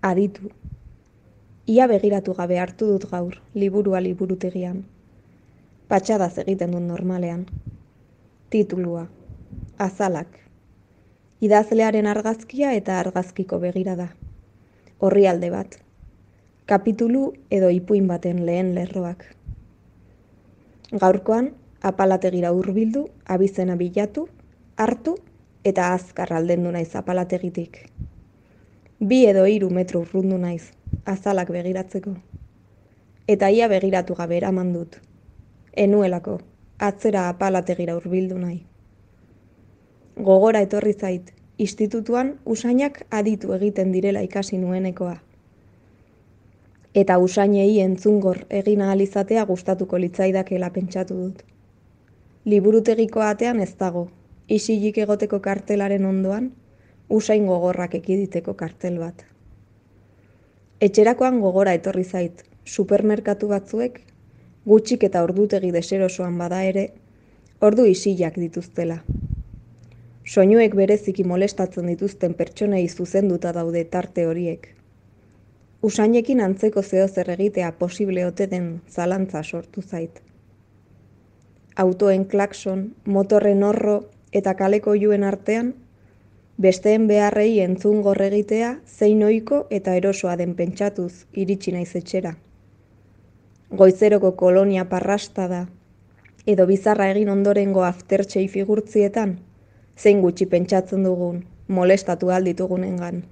Aditu. Ia begiratu gabe hartu dut gaur, liburua liburutegian. Patxadaz egiten dut normalean. Titulua. Azalak. Idazlearen argazkia eta argazkiko begirada. Orrialde bat. Kapitulu edo ipuin baten lehen lerroak. Gaurkoan, apalategira hurbildu, abizena bilatu, hartu eta azkar aldendu naiz apalategitik. 2 edo 3 metro urrundu naiz, azalak begiratzeko. Eta ia begiratu gabe eraman dut. Enuelako, atzera apalategira hurbildu nahi. Gogora etorri zait, institutuan usainak aditu egiten direla ikasi nuenekoa. Eta usainei entzungor egin ahal izatea gustatuko litzaidakela pentsatu dut. Liburutegiko atean ez dago, isilik egoteko kartelaren ondoan, usain gogorrak ekiditeko kartel bat. Etxerakoan gogora etorri zait, supermerkatu batzuek, gutxik eta ordutegi deserosoan bada ere, ordu isilak dituztela. Soinuek bereziki molestatzen dituzten pertsonei zuzenduta daude tarte horiek. Usainekin antzeko zeozer egitea posible ote den zalantza sortu zait. Autoen klakson, motorren orro eta kaleko oihuen artean, besteen beharrei entzungor egitea zein ohiko eta erosoa den pentsatuz iritsi naiz etxera. Goizeroko kolonia parrastada edo bizarra egin ondorengo aftertxei figurtzietan, zein gutxi pentsatzen dugun, molestatu ahal ditugunengan.